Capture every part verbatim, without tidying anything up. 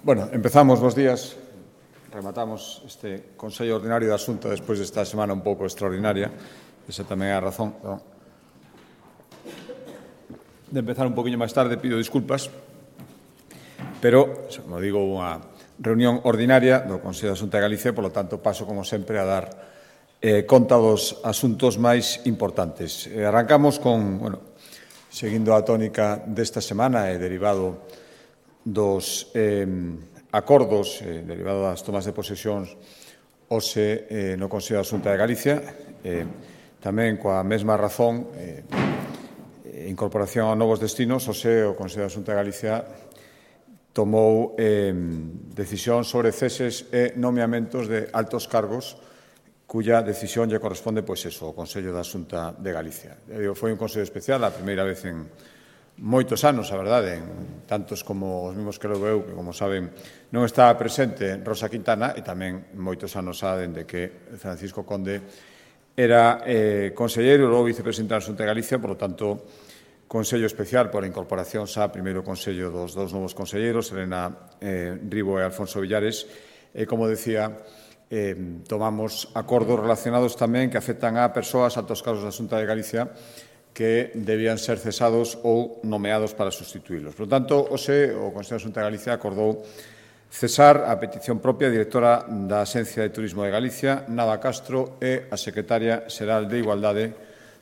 Bueno, empezamos, bos días. Rematamos este Consello Ordinario da Xunta despois desta semana un pouco extraordinaria. Esa tamén é a razón de empezar un poquinho máis tarde, pido disculpas. Pero, como digo, unha reunión ordinaria do Consello da Xunta de Galicia, polo tanto, paso, como sempre, a dar eh, conta dos asuntos máis importantes. Eh, arrancamos con, bueno, seguindo a tónica desta semana e derivado dos eh, acordos eh, derivados das tomas de posesións hoxe eh, no Consello da Xunta de Galicia, eh, tamén coa mesma razón, eh, incorporación a novos destinos, hoxe o Consello da Xunta de Galicia tomou eh, decisión sobre ceses e nomeamentos de altos cargos cuya decisión lle corresponde, pois eso, ao Consello da Xunta de Galicia. Eu digo, foi un Consello especial, a primeira vez en moitos anos, a verdade, en tantos como os mesmos que logo eu, que, como saben, non estaba presente Rosa Quintana, e tamén moitos anos xa dende que Francisco Conde era eh, conselleiro e logo vicepresidente da Xunta de Galicia, por lo tanto, Consello especial por a incorporación xa primeiro Consello dos dous novos conselleiros, Elena eh, Ribo e Alfonso Villares, e, como decía, eh, tomamos acordos relacionados tamén que afectan a persoas, altos cargos da Xunta de Galicia, que debían ser cesados ou nomeados para sustituílos. Por lo tanto, hoxe o Consello da Xunta de Galicia acordou cesar a petición propia a directora da Axencia de Turismo de Galicia, Nava Castro, e a secretaria xeral de Igualdade,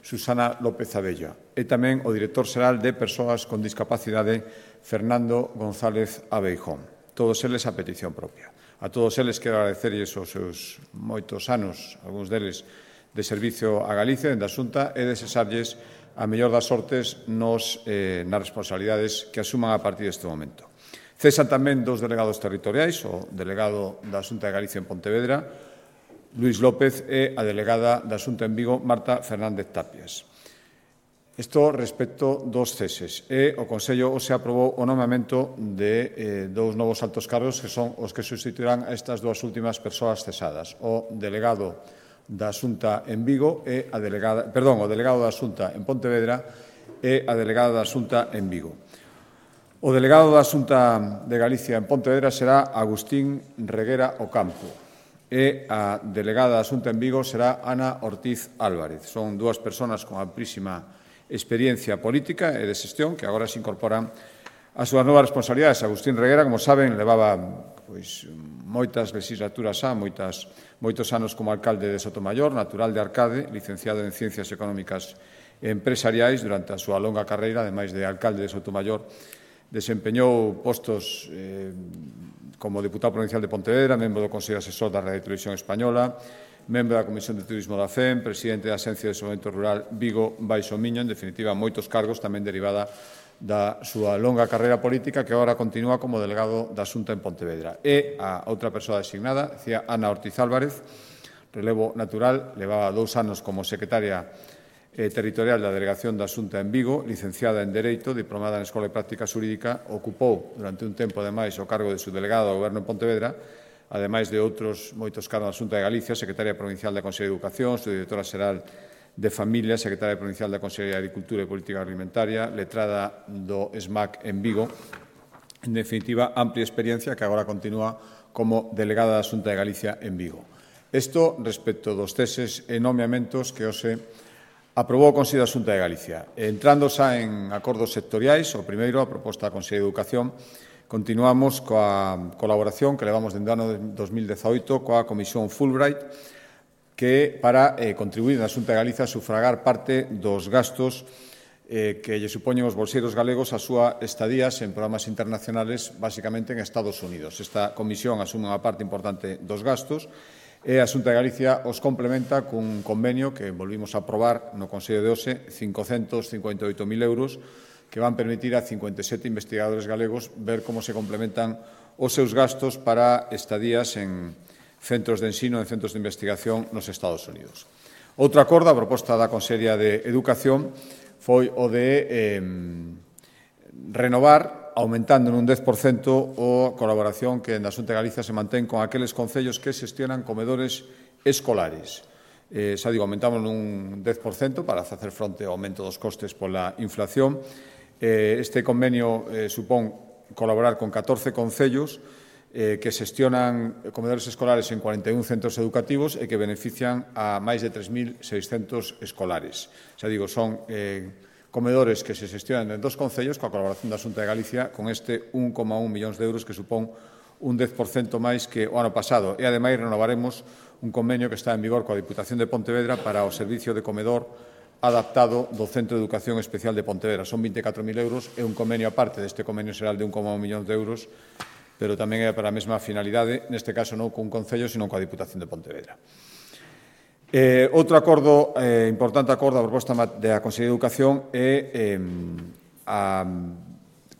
Susana López Abella, e tamén o director xeral de Persoas con Discapacidade, Fernando González Abeijón. Todos eles a petición propia. A todos eles quero agradecerlles os seus moitos anos, algúns deles, de servicio a Galicia, dende a Xunta, e desexarlles a mellor das sortes nos, eh, nas responsabilidades que asuman a partir deste momento. Cesan tamén dos delegados territoriais, o delegado da Xunta de Galicia en Pontevedra, Luís López, e a delegada da Xunta en Vigo, Marta Fernández Tapias. Isto respecto dos ceses. E o Consello hoxe aprobou o nomeamento de eh, dous novos altos cargos que son os que sustituirán a estas dúas últimas persoas cesadas. O delegado da Xunta en Vigo e a delegada, perdón, o delegado da Xunta en Pontevedra e a delegada da Xunta en Vigo. O delegado da Xunta de Galicia en Pontevedra será Agustín Reguera Ocampo e a delegada da Xunta en Vigo será Ana Ortiz Álvarez. Son dúas persoas con amplísima experiencia política e de xestión que agora se incorporan as súas novas responsabilidades. Agustín Reguera, como saben, levaba pois, moitas legislaturas xa, moitas, moitos anos como alcalde de Sotomayor, natural de Arcade, licenciado en Ciencias Económicas e Empresariais. Durante a súa longa carreira, ademais de alcalde de Sotomayor, desempeñou postos eh, como deputado provincial de Pontevedra, membro do Consello Asesor da Radio Televisión Española, membro da Comisión de Turismo da F E M, presidente da Axencia de Desenvolvemento Rural Vigo Baixo Miño, en definitiva, moitos cargos, tamén derivada da súa longa carreira política, que agora continúa como delegado da Xunta en Pontevedra. E a outra persoa designada, decía Ana Ortiz Álvarez, relevo natural, levaba dous anos como secretaria eh, territorial da Delegación da Xunta en Vigo, licenciada en Dereito, diplomada en Escola de Práctica Xurídica, ocupou durante un tempo, ademais, o cargo de subdelegado do Goberno en Pontevedra, ademais de outros moitos cargos da Xunta de Galicia, secretaria provincial da Consellería de Educación, subdirectora xeral de Familia, secretaria provincial da Consellería de Agricultura e Política Alimentaria, letrada do E S M A C en Vigo. En definitiva, amplia experiencia que agora continúa como delegada da Xunta de Galicia en Vigo. Isto respecto dos ceses e nomeamentos que hoxe aprobou o Consello da Xunta de Galicia. Entrando xa en acordos sectoriais, o primeiro, a proposta da Consellería de Educación, continuamos coa colaboración que levamos dende o ano dos mil dezaoito coa Comisión Fulbright, que para eh, contribuir na Xunta de Galicia a sufragar parte dos gastos eh, que lle supoñen os bolseiros galegos a súa estadías en programas internacionales, basicamente en Estados Unidos. Esta comisión asume unha parte importante dos gastos e a Xunta de Galicia os complementa cun convenio que volvimos a aprobar no Consello de hoxe, cincocentos cincuenta e oito mil euros, que van permitir a cincuenta e sete investigadores galegos ver como se complementan os seus gastos para estadías en centros de ensino, en centros de investigación nos Estados Unidos. Outro acordo, a proposta da Consellería de Educación, foi o de eh, renovar, aumentando nun dez por cento a colaboración que na Xunta de Galicia se mantén con aqueles concellos que xestionan comedores escolares. Eh, xa digo, aumentamos nun dez por cento para facer fronte ao aumento dos costes pola inflación. Eh, este convenio eh, supón colaborar con catorce concellos eh, que xestionan comedores escolares en cuarenta e un centros educativos e que benefician a máis de tres mil seiscentos escolares. Xa digo, son eh, comedores que se xestionan en dos concellos coa colaboración da Xunta de Galicia con este un coma un millóns de euros que supón un dez por cento máis que o ano pasado. E, ademais, renovaremos un convenio que está en vigor coa Diputación de Pontevedra para o servicio de comedor adaptado do Centro de Educación Especial de Pontevedra. Son vinte e catro mil euros e un convenio aparte deste convenio xeral de un coma un millón de euros, pero tamén é para a mesma finalidade, neste caso non cun concello, sino coa Diputación de Pontevedra. Eh, outro acordo, eh, importante acordo, a proposta da Consellería de Educación é eh, a,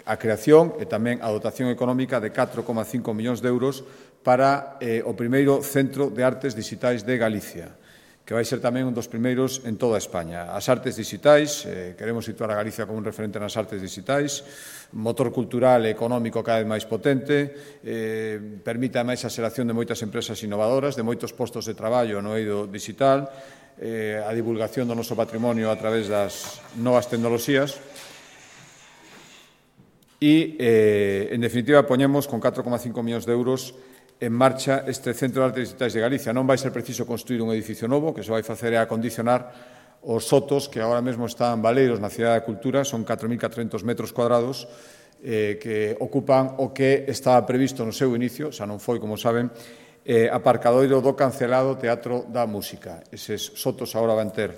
a creación e tamén a dotación económica de catro coma cinco millóns de euros para eh, o primeiro Centro de Artes Digitais de Galicia, que vai ser tamén un dos primeiros en toda España. As artes digitais, eh, queremos situar a Galicia como un referente nas artes digitais, motor cultural e económico cada vez máis potente, eh, permite a máis a xeración de moitas empresas innovadoras, de moitos postos de traballo no eido digital, eh, a divulgación do noso patrimonio a través das novas tecnoloxías e, eh, en definitiva, poñemos con catro coma cinco millóns de euros en marcha este Centro de Artes Digitais de Galicia. Non vai ser preciso construir un edificio novo, que se vai facer é acondicionar os sotos que agora mesmo están baleiros na Cidade da Cultura, son catro mil catrocentos metros cuadrados, eh, que ocupan o que estaba previsto no seu inicio, xa non foi, como saben, eh, aparcadoiro do cancelado Teatro da Música. Eses sotos agora van ter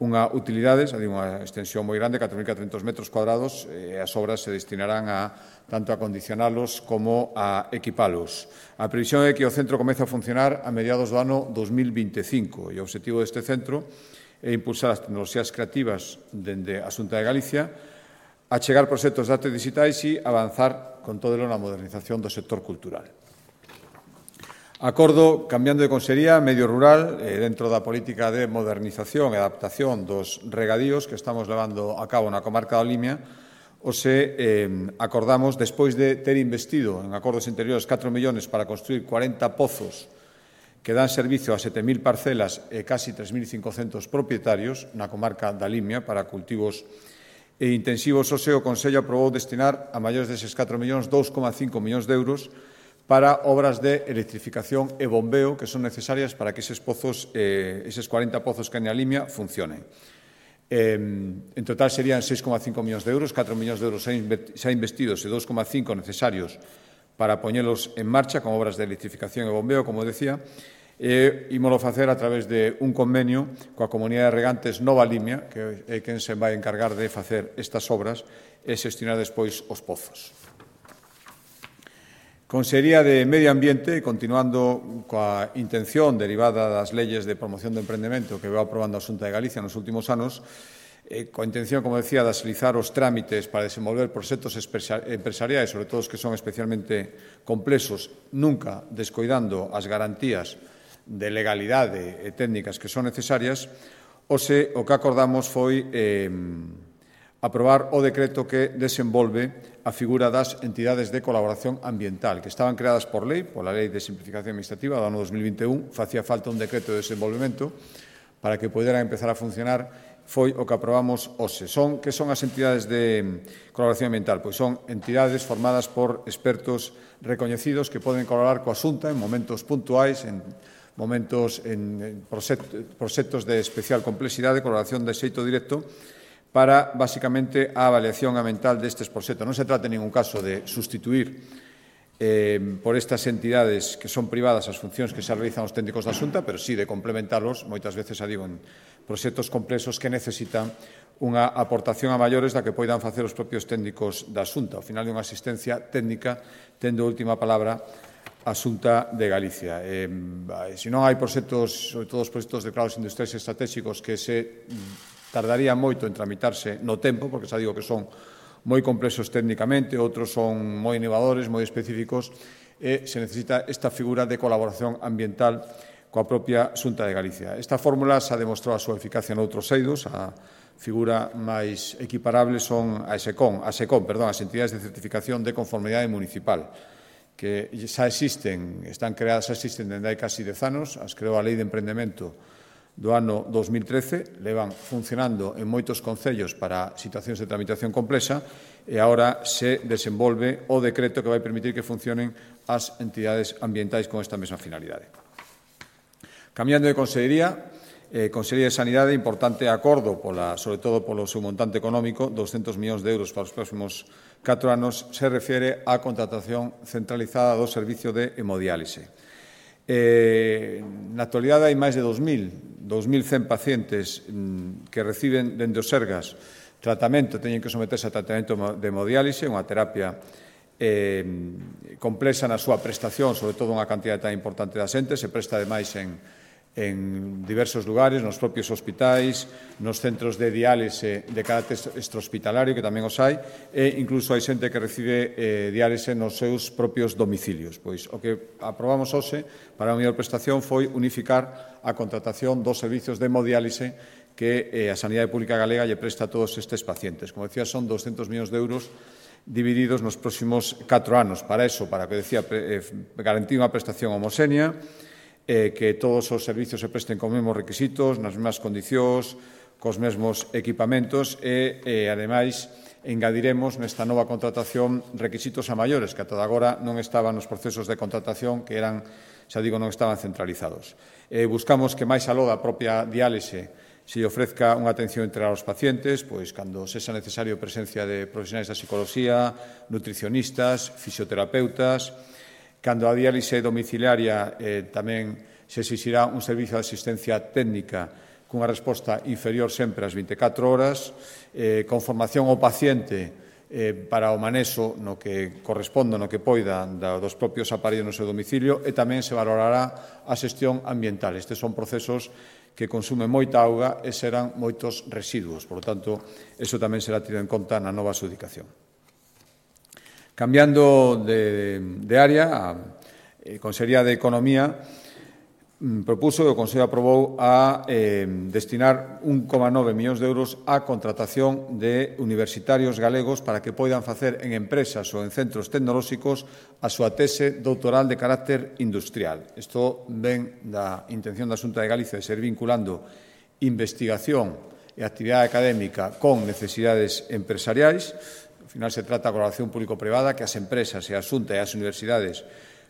unha utilidade, xa digo, unha extensión moi grande, catro mil catrocentos metros cuadrados, e as obras se destinarán a tanto a acondicionalos como a equipalos. A previsión é que o centro comece a funcionar a mediados do ano dos mil vinte e cinco e o obxectivo deste centro é impulsar as tecnoloxías creativas dende a Xunta de Galicia, achegar proxectos de artes digitais e avanzar con todo na modernización do sector cultural. Acordo, cambiando de consellería, medio rural, eh, dentro da política de modernización e adaptación dos regadíos que estamos levando a cabo na comarca da Limia, Ose eh, acordamos, despois de ter investido en acordos interiores catro millóns para construir cuarenta pozos que dan servicio a sete mil parcelas e casi tres mil cincocentos propietarios na comarca da Limia para cultivos e intensivos, ose o Consello aprobou destinar a maiores deses catro millóns dous coma cinco millóns de euros para obras de electrificación e bombeo que son necesarias para que eses pozos, eh, eses cuarenta pozos que hai na Limia funcionen. Eh, en total serían seis coma cinco millóns de euros, catro millóns de euros xa investidos e dos coma cinco necesarios para poñelos en marcha con obras de electrificación e bombeo, como decía, e ímolo facer a través de un convenio coa Comunidade de Regantes Nova Limia, que é quen se vai encargar de facer estas obras e xestionar despois os pozos. Consellería de Medio Ambiente, continuando coa intención derivada das leyes de promoción do emprendemento que veu aprobando a Xunta de Galicia nos últimos anos, eh, coa intención, como decía, de agilizar os trámites para desenvolver proxectos empresariais, sobre todo os que son especialmente complexos, nunca descoidando as garantías de legalidade e técnicas que son necesarias, ose o que acordamos foi eh, aprobar o decreto que desenvolve a figura das entidades de colaboración ambiental, que estaban creadas por lei, pola Lei de Simplificación Administrativa do ano dos mil vinte e un, facía falta un decreto de desenvolvemento para que poderan empezar a funcionar, foi o que aprobamos hoxe. Son, que son as entidades de colaboración ambiental? Pois son entidades formadas por expertos recoñecidos que poden colaborar coa Xunta en momentos puntuais, en momentos, en proxectos de especial complexidade, colaboración de xeito directo, para, basicamente, a avaliación ambiental destes proxectos. Non se trata en ningún caso de sustituir eh, por estas entidades que son privadas as funcións que se realizan os técnicos da Xunta, pero sí de complementarlos, moitas veces, a digo, en proxectos complexos que necesitan unha aportación a maiores da que poidan facer os propios técnicos da Xunta. Ao final, de unha asistencia técnica, tendo a última palabra a Xunta de Galicia. Eh, se non hai proxectos, sobre todo os proxectos declarados industriais estratégicos, que se tardaría moito en tramitarse no tempo, porque xa digo que son moi complexos técnicamente, outros son moi innovadores, moi específicos, e se necesita esta figura de colaboración ambiental coa propia Xunta de Galicia. Esta fórmula xa demostrou a súa eficacia noutros eidos. A figura máis equiparable son a SECON, a SECON, perdón, as entidades de certificación de conformidade municipal, que xa existen, están creadas, xa existen dende hai casi dez anos, as creou a Lei de Emprendemento do ano dos mil trece, levan funcionando en moitos concellos para situacións de tramitación complexa e agora se desenvolve o decreto que vai permitir que funcionen as entidades ambientais con esta mesma finalidade. Cambiando de consellería, eh, Consellería de Sanidade, importante acordo, pola, sobre todo polo seu montante económico, doscentos millóns de euros para os próximos catro anos, se refere á contratación centralizada do servicio de hemodiálise. Eh, na actualidade hai máis de dos mil, dos mil cen pacientes mm, que reciben dende os Sergas tratamento, teñen que someterse a tratamento de hemodiálise, unha terapia eh, complexa na súa prestación, sobre todo unha cantidad tan importante de xente, se presta ademais en en diversos lugares, nos propios hospitais, nos centros de diálise de carácter extrahospitalario, que tamén os hai, e incluso hai xente que recibe eh, diálise nos seus propios domicilios. Pois o que aprobamos hoxe para a mellor prestación foi unificar a contratación dos servizos de hemodiálise que eh, a Sanidade Pública Galega lle presta a todos estes pacientes. Como decía, son doscentos millóns de euros divididos nos próximos catro anos. Para eso, para que decía, eh, garantir unha prestación homoxénea, eh, que todos os servizos se presten con os mesmos requisitos, nas mesmas condicións, cos mesmos equipamentos e, eh, ademais, engadiremos nesta nova contratación requisitos a maiores, que ata agora non estaban nos procesos de contratación, que eran, xa digo, non estaban centralizados. Eh, buscamos que máis aló da propia diálise se ofrezca unha atención integral aos pacientes, pois cando sexa necesario presencia de profesionais da psicología, nutricionistas, fisioterapeutas. Cando a diálise domiciliaria eh, tamén se exixirá un servicio de asistencia técnica cunha resposta inferior sempre ás vinte e catro horas, eh, con formación ao paciente eh, para o manexo no que corresponda, no que poida da, dos propios aparellos no seu domicilio, e tamén se valorará a xestión ambiental. Estes son procesos que consumen moita auga e serán moitos residuos. Por lo tanto, eso tamén será tido en conta na nova adxudicación. Cambiando de, de área, a eh, Consellería de Economía mm, propuso e o Consello aprobou a eh, destinar un coma nove millóns de euros á contratación de universitarios galegos para que poidan facer en empresas ou en centros tecnolóxicos a súa tese doutoral de carácter industrial. Isto ven da intención da Xunta de Galicia de ser vinculando investigación e actividade académica con necesidades empresariais. Ao final se trata de colaboración público-privada, que as empresas e a Xunta e as universidades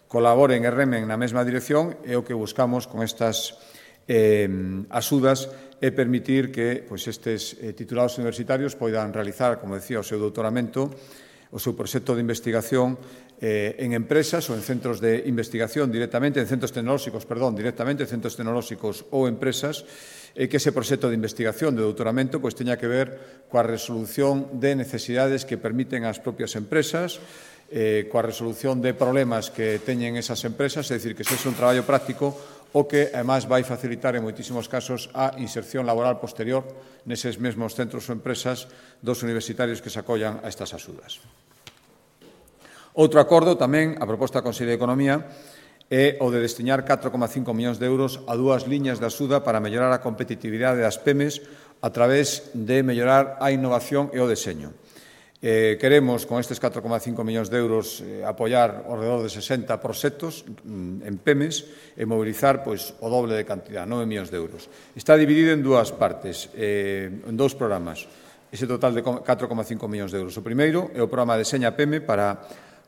colaboren e remen na mesma dirección, e o que buscamos con estas eh, axudas é permitir que pois, estes eh, titulados universitarios poidan realizar, como decía, o seu doutoramento, o seu proxecto de investigación eh, en empresas ou en centros de investigación directamente, en centros tecnolóxicos, perdón, directamente en centros tecnolóxicos ou empresas, e que ese proxecto de investigación de doutoramento pois, teña que ver coa resolución de necesidades que permiten ás propias empresas, eh, coa resolución de problemas que teñen esas empresas, é dicir, que sexa un traballo práctico o que, además, vai facilitar en moitísimos casos a inserción laboral posterior neses mesmos centros ou empresas dos universitarios que se acollan a estas axudas. Outro acordo tamén, a proposta da Consellería de Economía, é o de destinar catro coma cinco millóns de euros a dúas liñas de axuda para mellorar a competitividade das pymes a través de mellorar a innovación e o deseño. Eh, queremos, con estes catro coma cinco millóns de euros, eh, apoiar ao redor de sesenta proxectos mm, en pymes e mobilizar pois, o doble de cantidad, nove millóns de euros. Está dividido en dúas partes, eh, en dous programas, ese total de catro coma cinco millóns de euros. O primeiro é o programa Deseña Pyme para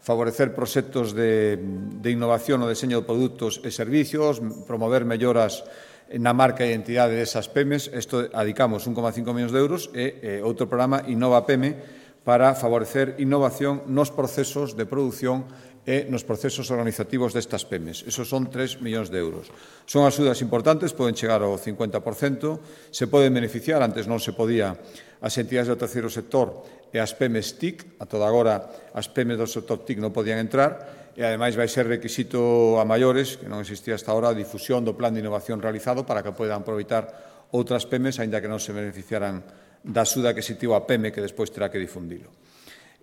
favorecer proxectos de, de innovación no deseño de produtos e servicios, promover melloras na marca e identidade desas pymes. Isto adicamos un coma cinco millóns de euros e eh, outro programa Innova Pyme para favorecer innovación nos procesos de produción e nos procesos organizativos destas pymes. Esos son tres millóns de euros. Son axudas importantes, poden chegar ao cincuenta por cento, se poden beneficiar, antes non se podía, as entidades do terceiro sector e as pymes T I C, a toda agora as pymes do sector T I C non podían entrar, e ademais vai ser requisito a maiores, que non existía hasta ahora, a difusión do plan de innovación realizado para que poidan aproveitar outras pymes, aínda que non se beneficiaran da axuda que se tivo a pyme, que despois terá que difundilo.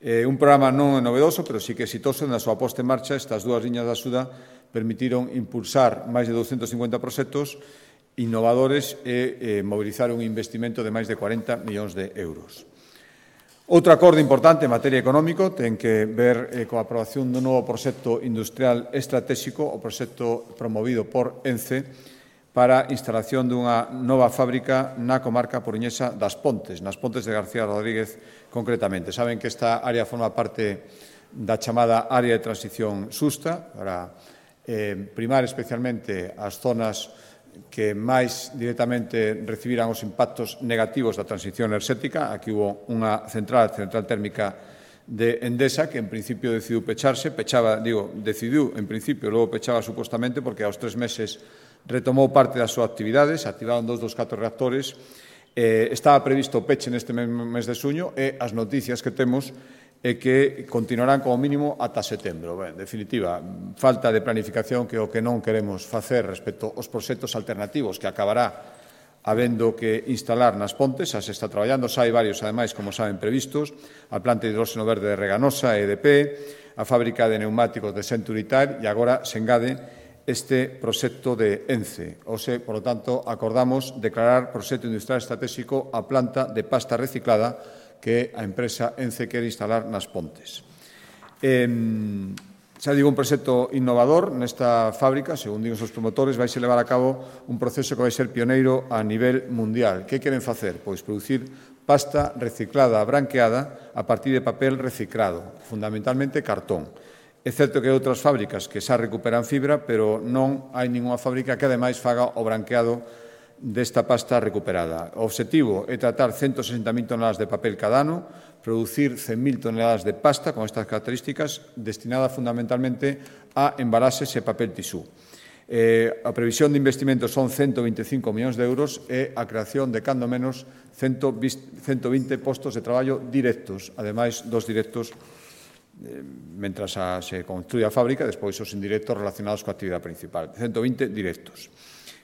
Eh, un programa non novedoso, pero sí que exitoso, na súa posta en marcha, estas dúas liñas de axuda permitiron impulsar máis de douscentos cincuenta proxectos innovadores e eh, mobilizar un investimento de máis de cuarenta millóns de euros. Outro acordo importante en materia económico ten que ver eh, coa aprobación dun novo proxecto industrial estratégico, o proxecto promovido por ENCE, para a instalación dunha nova fábrica na comarca coruñesa das Pontes, nas Pontes de García Rodríguez concretamente. Saben que esta área forma parte da chamada área de transición xusta para eh, primar especialmente as zonas que máis directamente recibiran os impactos negativos da transición enerxética. Aquí hubo unha central, central térmica de Endesa, que en principio decidiu pecharse, pechaba, digo, decidiu en principio, logo pechaba supostamente, porque aos tres meses retomou parte das súas actividades, activaron dos dos catro reactores, eh, estaba previsto o peche neste mesmo mes de xuño e as noticias que temos é que continuarán como mínimo ata setembro. Ben, en definitiva, falta de planificación que é o que non queremos facer respecto aos proxectos alternativos que acabará habendo que instalar nas Pontes, as está traballando, xa hai varios, ademais, como saben, previstos, a planta de hidróxeno verde de Reganosa, E D P, a fábrica de neumáticos de Century Tire e agora se engade este proxecto de ENCE. O se, por lo tanto, acordamos declarar proxecto industrial estratégico a planta de pasta reciclada que a empresa ENCE quere instalar nas Pontes. Eh, xa digo, un proxecto innovador nesta fábrica, según digo os promotores, vai se levar a cabo un proceso que vai ser pioneiro a nivel mundial. Que queren facer? Pois producir pasta reciclada branqueada a partir de papel reciclado, fundamentalmente cartón. É certo que hai outras fábricas que xa recuperan fibra, pero non hai ninguna fábrica que, ademais, faga o branqueado desta pasta recuperada. O obxectivo é tratar ciento sesenta mil toneladas de papel cada ano, producir cen mil toneladas de pasta con estas características, destinada fundamentalmente a embalaxes e papel tisú. Eh, a previsión de investimento son ciento veinticinco millóns de euros e a creación de, cando menos, ciento vinte postos de traballo directos, ademais dos directos mentras a, se construye a fábrica, despois os indirectos relacionados coa actividade principal. ciento vinte directos.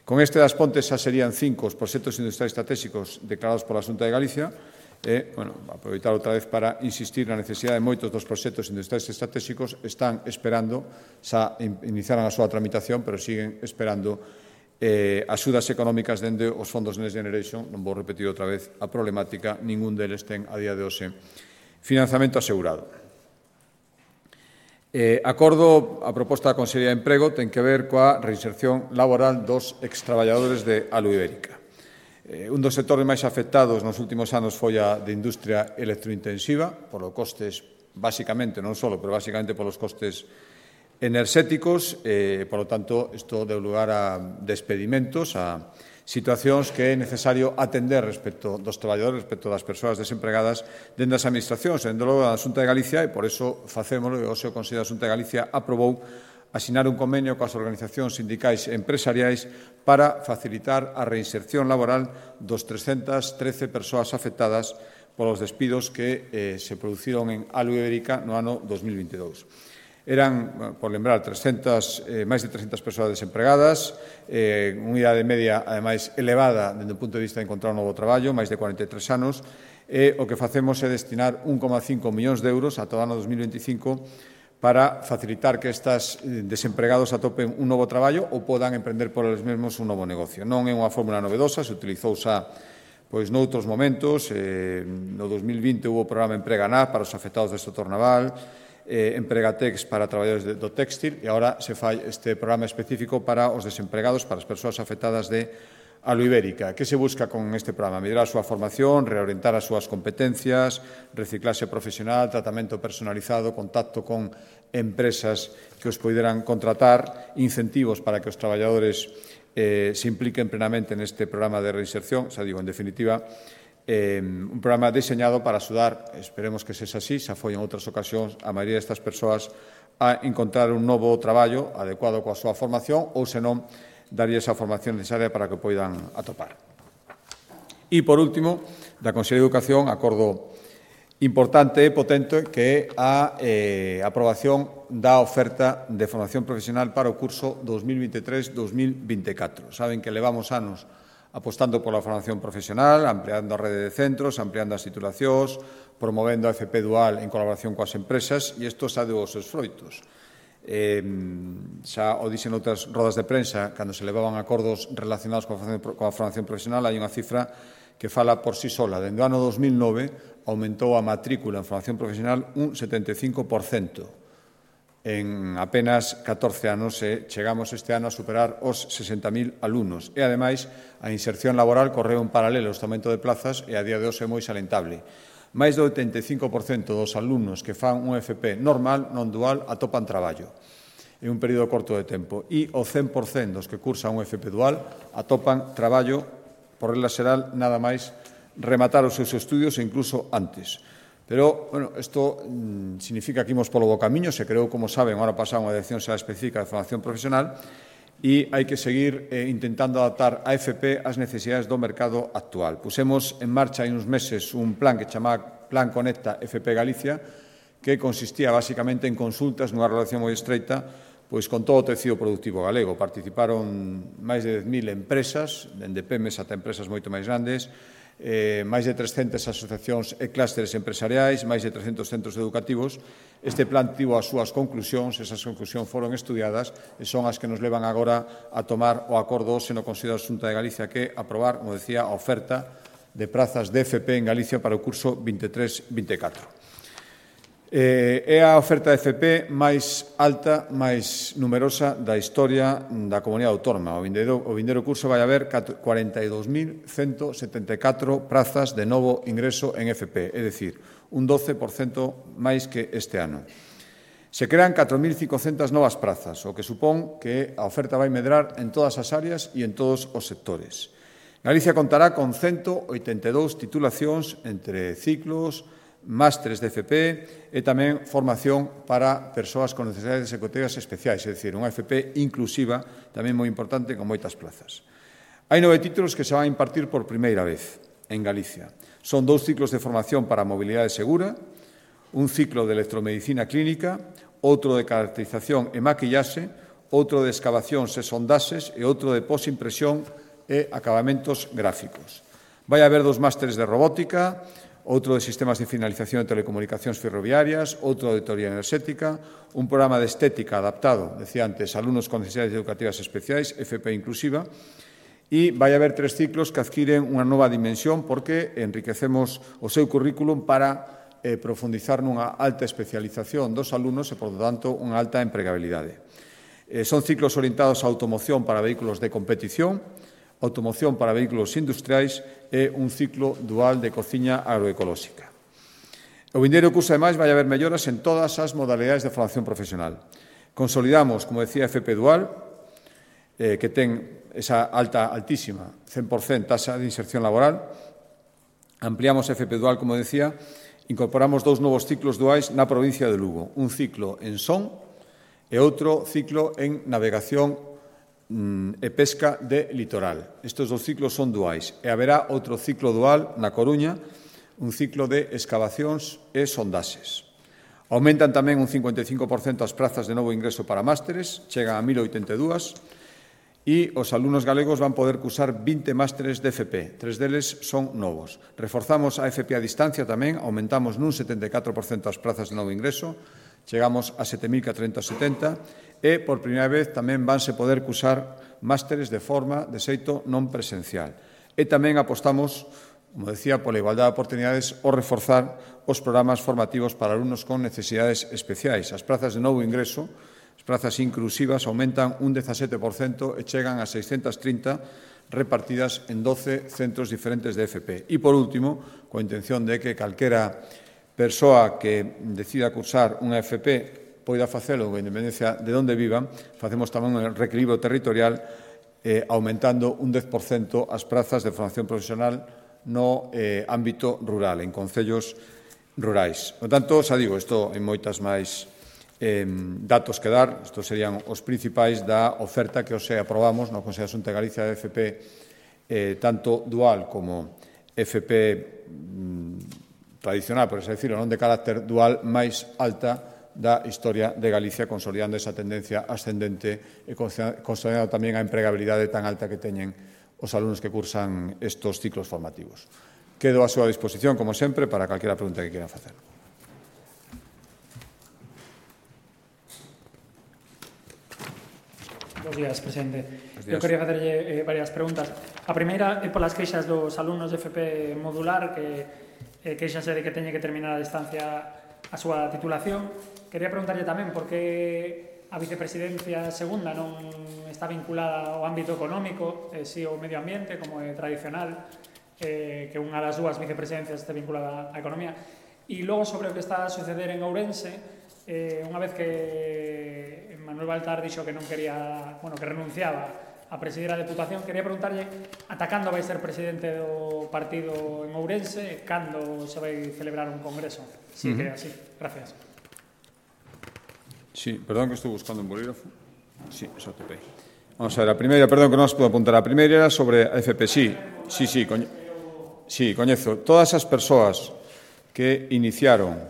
Con este das Pontes xa serían cinco os proxectos industriais estratégicos declarados pola Xunta de Galicia e, bueno, aproveitar outra vez para insistir na necesidade de moitos dos proxectos industriais estratégicos están esperando, xa iniciaran a súa tramitación, pero siguen esperando eh, axudas económicas dende os fondos Next Generation. Non vou repetir outra vez a problemática, ningún deles ten a día de hoxe financiamento asegurado. Eh, acordo, a proposta da Consellería de Emprego ten que ver coa reinserción laboral dos extraballadores de Alu Ibérica. Eh, un dos sectores máis afectados nos últimos anos foi a de industria electrointensiva, polo costes, basicamente, non só, pero basicamente polos costes enerxéticos, eh, por lo tanto, isto deu lugar a despedimentos, a situacións que é necesario atender respecto dos traballadores, respecto das persoas desempregadas dentro das administracións, dentro logo da Xunta de Galicia, e por iso facémolo, e o seu Consello da Xunta de Galicia aprobou asinar un convenio coas organizacións sindicais e empresariais para facilitar a reinserción laboral dos trescentas trece persoas afectadas polos despidos que eh, se produciron en Alu Ibérica no ano dos mil vinte e dous. Eran, por lembrar, trescentas, eh, máis de trescentas persoas desempregadas, eh, unha idade media, ademais, elevada dende o punto de vista de encontrar un novo traballo, máis de cuarenta e tres anos, e o que facemos é destinar un coma cinco millóns de euros a todo o ano dos mil veinticinco para facilitar que estas desempregados atopen un novo traballo ou podan emprender por eles mesmos un novo negocio. Non é unha fórmula novedosa, se utilizou xa pois noutros momentos. Eh, no dos mil vinte hubo o programa Emprega N A para os afectados do sector naval, eh, Empregatex para traballadores de, do téxtil, e agora se fai este programa específico para os desempregados, para as persoas afectadas de Alu Ibérica. Que se busca con este programa? Mellorar a súa formación, reorientar as súas competencias, reciclaxe profesional, tratamento personalizado, contacto con empresas que os poideran contratar, incentivos para que os traballadores eh, se impliquen plenamente neste programa de reinserción. Xa digo, en definitiva, eh, un programa diseñado para axudar, esperemos que sexa así, xa foi en outras ocasións, a maioría destas persoas a encontrar un novo traballo adecuado coa súa formación ou, senón, daría esa formación necesaria para que poidan atopar. E, por último, da Consellería de Educación, acordo importante e potente que é a eh, aprobación da oferta de formación profesional para o curso dos mil veintitrés dos mil veinticatro. Saben que levamos anos apostando pola formación profesional, ampliando a rede de centros, ampliando as titulacións, promovendo a F P dual en colaboración coas empresas, e isto xa deu os seus froitos. Eh, xa o dixen outras rodas de prensa, cando se levaban acordos relacionados coa formación, coa formación profesional, hai unha cifra que fala por sí sola. Dende o ano dos mil nove aumentou a matrícula en formación profesional un setenta e cinco por cento. en apenas catorce anos e chegamos este ano a superar os sesenta mil alumnos. E, ademais, a inserción laboral correu en paralelo ao aumento de plazas e a día de hoxe é moi salentable. Máis do oitenta e cinco por cento dos alumnos que fan un F P normal, non dual, atopan traballo en un período corto de tempo. E o cen por cento dos que cursan un F P dual atopan traballo, por regla xeral, nada máis rematar os seus estudios e incluso antes. Pero, bueno, isto mmm, significa que imos polo bo camiño. Se creou, como saben, ahora pasada unha Dirección Xeral Específica de Formación Profesional e hai que seguir eh, intentando adaptar a F P ás necesidades do mercado actual. Pusemos en marcha hai uns meses un plan que chamaba Plan Conecta F P Galicia, que consistía basicamente en consultas nunha relación moi estreita pois con todo o tecido productivo galego. Participaron máis de dez mil empresas, dende pemes ata empresas moito máis grandes, Eh, máis de trescentas asociacións e clústeres empresariais, máis de trescentos centros educativos. Este plan tivo as súas conclusións, esas conclusións foron estudiadas e son as que nos levan agora a tomar o acordo hoxe no Consello da Xunta de Galicia que aprobar, como decía, a oferta de prazas de F P en Galicia para o curso vinte e tres vinte e catro. Eh, é a oferta de F P máis alta, máis numerosa da historia da comunidade autónoma. O vindeiro, o vindeiro curso vai haber cuarenta e dous mil cento setenta e catro prazas de novo ingreso en F P, é dicir, un doce por cento máis que este ano. Se crean catro mil cincocentas novas prazas, o que supón que a oferta vai medrar en todas as áreas e en todos os sectores. Galicia contará con ciento oitenta e dous titulacións entre ciclos, másteres de F P e tamén formación para persoas con necesidades educativas especiais, é dicir, unha F P inclusiva, tamén moi importante, con moitas plazas. Hai nove títulos que se van a impartir por primeira vez en Galicia. Son dous ciclos de formación para a mobilidade segura, un ciclo de electromedicina clínica, outro de caracterización e maquillaxe, outro de excavacións e sondaxes e outro de posimpresión e acabamentos gráficos. Vai haber dos másteres de robótica, outro de sistemas de finalización de telecomunicacións ferroviarias, outro de teoría enerxética, un programa de estética adaptado, decía antes, a alumnos con necesidades educativas especiais, F P inclusiva, e vai haber tres ciclos que adquiren unha nova dimensión porque enriquecemos o seu currículum para eh, profundizar nunha alta especialización dos alumnos e, por lo tanto, unha alta empregabilidade. Eh, son ciclos orientados a automoción para vehículos de competición, automoción para vehículos industriais e un ciclo dual de cociña agroecolóxica. O vindeiro curso, ademais, vai haber melloras en todas as modalidades de formación profesional. Consolidamos, como decía, F P dual, eh, que ten esa alta, altísima, cen por cento tasa de inserción laboral. Ampliamos F P dual, como decía, incorporamos dous novos ciclos duais na provincia de Lugo, un ciclo en Son e outro ciclo en navegación e pesca de litoral. Estes dos ciclos son duais e haberá outro ciclo dual na Coruña, un ciclo de excavacións e sondaxes. Aumentan tamén un cincuenta e cinco por cento as prazas de novo ingreso para másteres, chegan a mil oitenta e dúas, e os alumnos galegos van poder cursar vinte másteres de F P, tres deles son novos. Reforzamos a F P a distancia tamén, aumentamos nun setenta e catro por cento as prazas de novo ingreso, chegamos a sete mil catrocentos setenta e, por primeira vez, tamén vanse poder cursar másteres de forma, de xeito non presencial. E tamén apostamos, como decía, pola igualdade de oportunidades ou reforzar os programas formativos para alumnos con necesidades especiais. As prazas de novo ingreso, as prazas inclusivas, aumentan un dezasete por cento e chegan a seiscentas trinta repartidas en doce centros diferentes de F P. E, por último, coa intención de que calquera persoa que decida cursar unha F P poida facelo con independencia de onde vivan, facemos tamén un reequilibrio territorial eh, aumentando un dez por cento as prazas de formación profesional no eh, ámbito rural, en concellos rurais. Por tanto, xa digo, isto hai moitas máis eh, datos que dar. Estos serían os principais da oferta que hoxe aprobamos no Consello da Xunta de Galicia de F P, eh, tanto dual como F P mm, tradicional, por así decirlo, non de carácter dual, máis alta da historia de Galicia, consolidando esa tendencia ascendente e consolidando tamén a empregabilidade tan alta que teñen os alumnos que cursan estos ciclos formativos. Quedo a súa disposición, como sempre, para calquera pregunta que quieran facer. Bos días, presidente. Eu quería facerlle eh, varias preguntas. A primeira é polas queixas dos alumnos de F P modular que eh, queixanse de que teñe que terminar a distancia a súa titulación quería preguntarlle tamén por que a vicepresidencia segunda non está vinculada ao ámbito económico, e si ao medio ambiente, como é tradicional, eh, que unha das dúas vicepresidencias este vinculada á economía. E logo sobre o que está a suceder en Ourense, eh, unha vez que Manuel Baltar dixo que non quería, bueno, que renunciaba a presidir a Deputación, quería preguntarlle ata cando vai ser presidente do partido en Ourense, cando se vai celebrar un congreso, si que é así. Gracias. Sí, perdón que estou buscando un bolígrafo. Sí, eso te pei. Vamos a ver, a primeira, perdón que non as puedo apuntar, a primeira era sobre a F P. Sí, sí, sí, coñe... sí, coñezo. Todas as persoas que iniciaron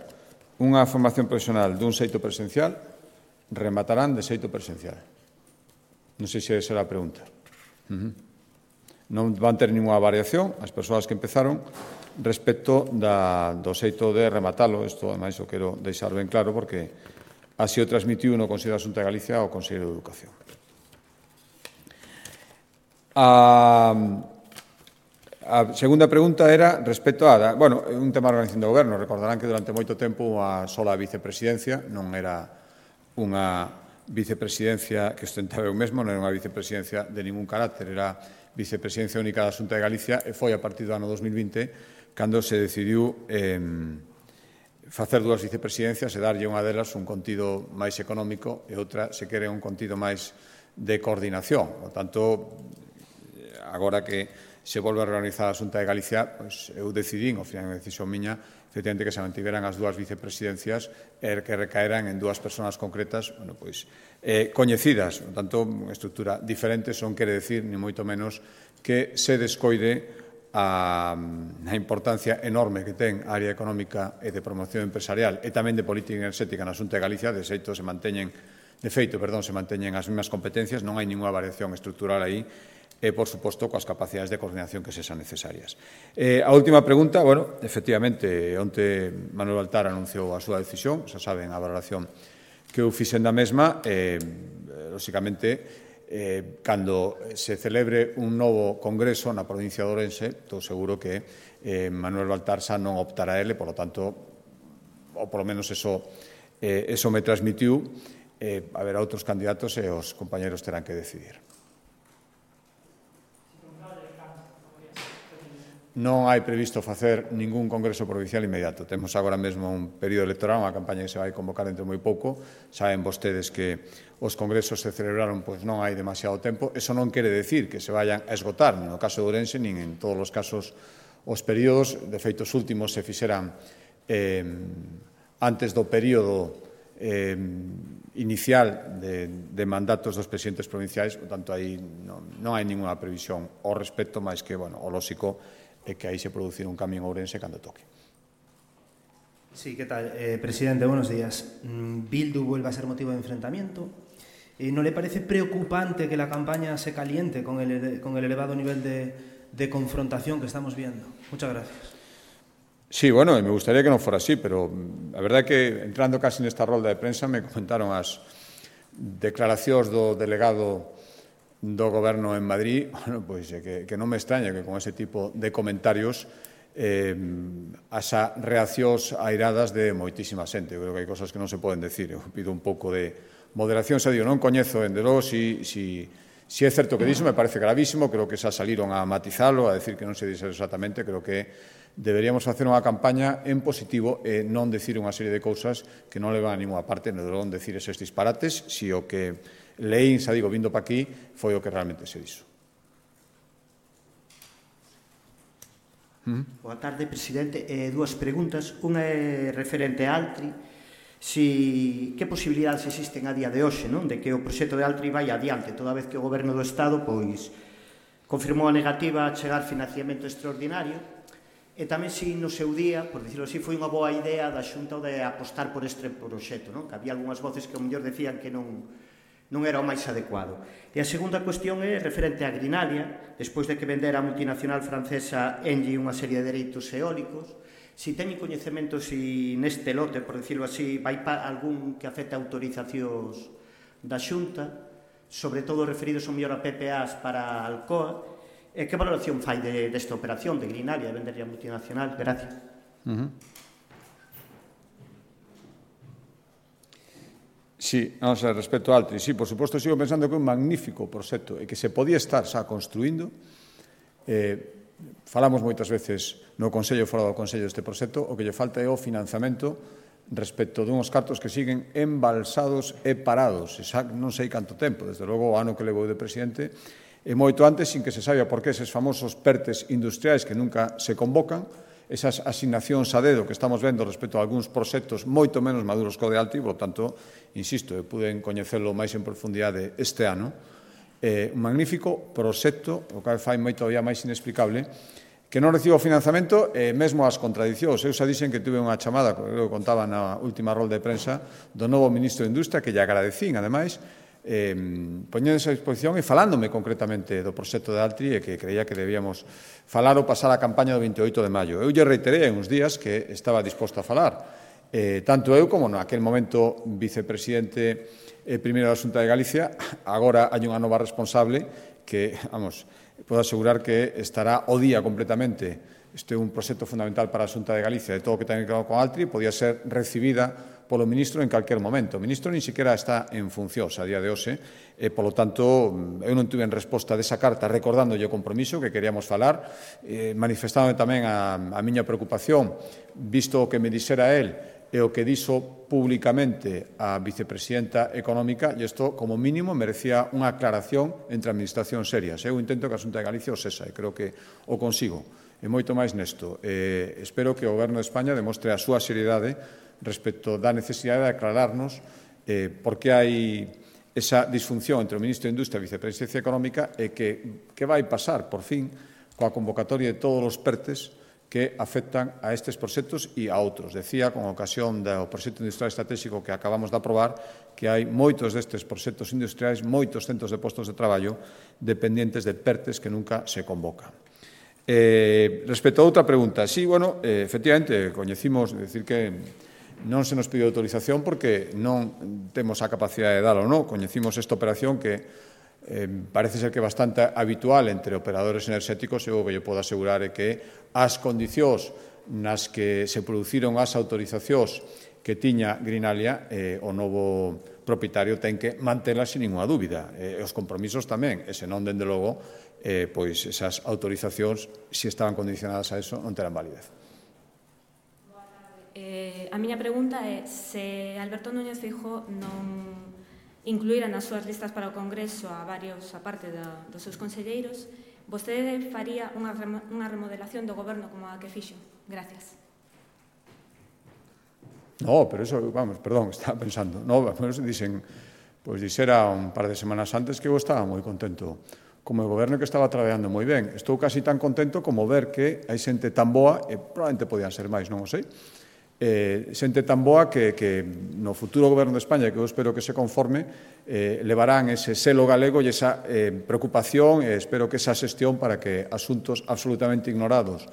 unha formación profesional dun xeito presencial rematarán de xeito presencial. Non sei se esa era a pregunta. Uh -huh. Non van ter ninguna variación as persoas que empezaron respecto da, do xeito de rematalo. Isto, ademais, o quero deixar ben claro porque así o transmitiu no Consello da Xunta de Galicia ao Consello de Educación. A, a segunda pregunta era respecto a... Bueno, un tema de organización do goberno. Recordarán que durante moito tempo a sola vicepresidencia non era unha vicepresidencia que ostentaba eu mesmo, non era unha vicepresidencia de ningún carácter, era vicepresidencia única da Xunta de Galicia e foi a partir do ano dos mil vinte cando se decidiu eh, facer dúas vicepresidencias e darlle unha delas un contido máis económico e outra, se quere, un contido máis de coordinación. Por tanto, agora que se volve a reorganizar a Xunta de Galicia, pois eu decidín, ao final, unha decisión miña, efectivamente, que se mantiveran as dúas vicepresidencias e que recaeran en dúas persoas concretas, bueno, pois, eh, coñecidas, por tanto, unha estrutura diferente, son quere decir, ni moito menos, que se descoide a, a importancia enorme que ten a área económica e de promoción empresarial e tamén de política enerxética na Xunta de Galicia. De xeito, se manteñen, de feito, perdón, se manteñen as mesmas competencias, non hai ninguna variación estrutural aí, e, por suposto, coas capacidades de coordinación que sexan necesarias. Eh, a última pregunta, bueno, efectivamente, onte Manuel Baltar anunciou a súa decisión, xa saben a valoración que eu fixen da mesma, e, lóxicamente, eh, cando se celebre un novo congreso na provincia de Ourense, estou seguro que eh, Manuel Baltar xa non optará a ele, por lo tanto, ou polo menos eso, eh, eso me transmitiu, eh, haberá outros candidatos e os compañeros terán que decidir. Non hai previsto facer ningún congreso provincial inmediato. Temos agora mesmo un período electoral, unha campaña que se vai convocar dentro de moi pouco. Saben vostedes que os congresos se celebraron, pois non hai demasiado tempo. Eso non quere decir que se vayan a esgotar, nin no caso de Ourense, nin en todos os casos os períodos. De feito, os últimos se fixeran eh, antes do período eh, inicial de, de mandatos dos presidentes provinciais. Por tanto, aí non, non hai ninguna previsión ao respecto, máis que, bueno, o lóxico e que aí se producir un cambio en Ourense cando toque. Sí, ¿qué tal? Eh, presidente, buenos días. Bildu vuelve a ser motivo de enfrentamiento. Eh, ¿No le parece preocupante que la campaña se caliente con el, con el elevado nivel de, de confrontación que estamos viendo? Muchas gracias. Sí, bueno, me gustaría que non fora así, pero a verdade é que entrando casi nesta rolda de prensa me comentaron as declaracións do delegado do Goberno en Madrid, bueno, pois que, que non me extraña que con ese tipo de comentarios eh, as reaccións airadas de moitísima xente. Eu creo que hai cosas que non se poden decir. Eu pido un pouco de moderación. Xa digo, non coñezo, en de logo, si, si, si é certo que dixo, me parece gravísimo. Creo que xa saliron a matizalo, a decir que non se dixe exactamente. Creo que deberíamos facer unha campaña en positivo e non decir unha serie de cousas que non levan a ninguna parte, non deberon decir eses disparates, si o que leín, xa digo, vindo pa aquí, foi o que realmente se dixo. Boa tarde, presidente. Eh, dúas preguntas. Unha é referente a Altri. Si, que posibilidades existen a día de hoxe, non, de que o proxecto de Altri vai adiante, toda vez que o Goberno do Estado pois confirmou a negativa a chegar financiamento extraordinario, e tamén se no seu día, por dicirlo así, foi unha boa idea da Xunta de apostar por este proxecto, non? Que había algunhas voces que ao mellor decían que non non era o máis adecuado. E a segunda cuestión é referente a Grinalia, despois de que vendera a multinacional francesa Engie unha serie de dereitos eólicos, si teñen coñecemento si neste lote, por decirlo así, vai pa algún que afecte a autorizacións da Xunta, sobre todo referidos ao mellor a P P As para Alcoa, e que valoración fai de, desta operación de Grinalia, de venderlle a multinacional? Gracias. Uh -huh. Sí, vamos a ver, respecto a Altri, sí, por suposto, sigo pensando que é un magnífico proxecto e que se podía estar xa construindo. Eh, falamos moitas veces no Consello e fora do Consello deste proxecto, o que lle falta é o financiamento respecto dunhos cartos que siguen embalsados e parados. Xa non sei canto tempo, desde logo o ano que levou de presidente, e moito antes, sin que se saiba por que eses famosos PERTES industriais que nunca se convocan, esas asignacións a dedo que estamos vendo respecto a algúns proxectos moito menos maduros que o de Altri, por tanto, insisto, eu puden coñecelo máis en profundidade este ano, eh, un magnífico proxecto, o que fai moito todavía máis inexplicable, que non recibo financiamento e mesmo as contradicións. Eu xa dixen que tuve unha chamada, que eu contaba na última rol de prensa, do novo ministro de Industria, que lle agradecín, ademais, eh, poñendo esa disposición e falándome concretamente do proxecto de Altri e que creía que debíamos falar ou pasar a campaña do veintioito de maio. Eu lle reiterei en uns días que estaba disposto a falar. Eh, tanto eu como naquel momento vicepresidente eh, primeiro da Xunta de Galicia, agora hai unha nova responsable que, vamos, podo asegurar que estará o día completamente. Este é un proxecto fundamental para a Xunta de Galicia de todo o que ten que ver con Altri, podía ser recibida polo ministro en calquer momento. O ministro nin sequera está en funcións a día de hoxe, e, polo tanto, eu non tuve en resposta desa carta recordándolle o compromiso que queríamos falar, eh, manifestando tamén a, a miña preocupación, visto o que me dixera él e o que dixo públicamente a vicepresidenta económica, e isto, como mínimo, merecía unha aclaración entre administracións serias. Eu intento que a Xunta de Galicia o sexa, e creo que o consigo. E moito máis nesto. Eh, espero que o Goberno de España demostre a súa seriedade respecto da necesidade de aclararnos eh, por que hai esa disfunción entre o Ministro de Industria e a Vicepresidencia Económica e que, que vai pasar, por fin, coa convocatoria de todos os PERTES que afectan a estes proxectos e a outros. Decía, con ocasión do proxecto industrial estratégico que acabamos de aprobar, que hai moitos destes proxectos industriais, moitos centros de postos de traballo dependientes de PERTES que nunca se convocan. Eh, respecto a outra pregunta, sí, bueno, eh, efectivamente, coñecimos, decir que non se nos pediu autorización porque non temos a capacidade de dalo, non? Coñecimos esta operación que eh, parece ser que é bastante habitual entre operadores enerxéticos e o que eu podo asegurar é que as condicións nas que se produciron as autorizacións que tiña Greenalia, eh, o novo propietario ten que mantelas sin ninguna dúbida. E os compromisos tamén, e senón, dende logo, eh, pois esas autorizacións, se estaban condicionadas a eso, non terán validez. Eh, a miña pregunta é se Alberto Núñez Feijóo non incluíra nas súas listas para o Congreso a varios, a parte da, dos seus conselleiros, vostede faría unha, unha remodelación do goberno como a que fixo? Gracias. No, pero eso, vamos, perdón, estaba pensando. No, pues dicen, pois dixera un par de semanas antes que eu estaba moi contento como o goberno que estaba traballando moi ben. Estou casi tan contento como ver que hai xente tan boa, e probablemente podían ser máis, non o sei, eh, xente tan boa que, que no futuro goberno de España, que eu espero que se conforme, eh, levarán ese selo galego e esa eh, preocupación, e espero que esa xestión para que asuntos absolutamente ignorados